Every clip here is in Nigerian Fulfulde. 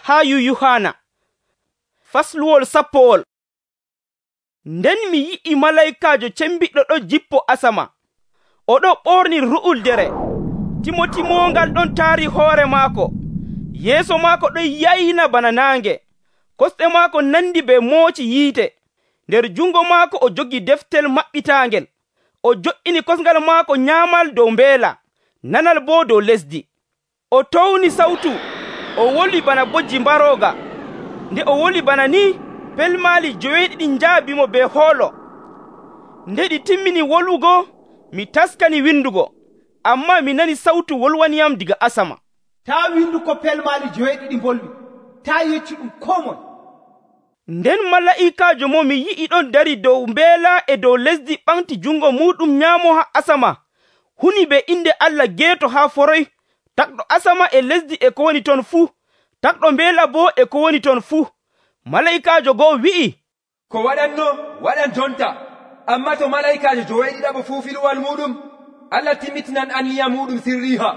haa Yuhana. Fasluwol 10. Nden mi yi'i malaykaajo cembiɗɗo ɗon jippo asama. Oɗon ɓorni ru'uldere. Timotimongal ɗon taari hoore maako. Yeeso maako ɗon yayna bana naange. Kosɗe maako nandi be mooci yiite. Nder jungo maako o jogi deftel maɓɓitaangel. O jo'ini kosngal maako nyaamal dow mbeela, nanal boo dow lesdi. O towni sawtu, o woli bana bojji mbarooga. Nde o woli bana ni, pelmaali 9 njaabimo be hoolo. Nde ɗi timmini wolugo, mi taskani windugo, ammaa mi nani sawtu wolwaniyam diga asama. Taa windu ko pelmaali 9 mbolwi, taa yeccu ɗum koo moye. Nden malaa'ikaajo mo mi yi'i ɗon dari dow mbeela e dow lesdi ɓamti jungo muɗum nyaamo haa asama, huni be inde Allah geeto haa foroy, takɗo asama e lesdi e ko woni ton fuu, takɗo mbeela boo e ko woni ton fuu. Malaa'ikaajo go'o wi'i, ko waɗanno waɗan jonta, ammaa to malaa'ikaajo 9 fuu filuwal muɗum, Allah timmitinan anniya muɗum sirriha,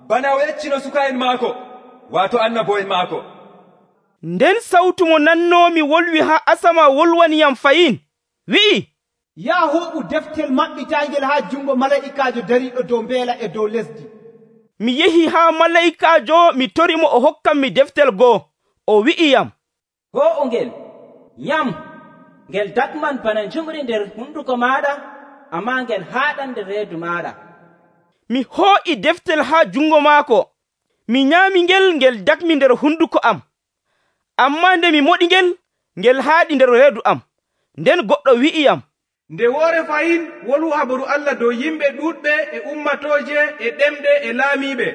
bana o yeccino suka'en maako, waato annabo'en maako. Nden sawtu mo nannoomi wolwi haa asama wolwaniyam fayin, wi'i, yaa hoɓu deftel maɓɓitaangel haa jungo malaa'ikaajo dariiɗo dow mbeela e dow lesdi. Mi yehi haa malaa'ikaajo mi torimo o hokkam mi deftel goo. O wi'iyam, go'o ngel, nyam, ngel dakman bana njumri nder hunduko maaɗa, ammaa ngel haaɗan nder reedu maaɗa. Mi hoo'i deftel haa jungo maako. Mi nyaami ngel dakmi nder hunduko am. Ammaa nde mi moɗi ngel haaɗi nder reedu am. Nden goɗɗo wi'iyam, nde woore fayin wolu habaru Allah dow yimɓe ɗuuɗɓe e ummatooje e ɗemɗe e laamiiɓe.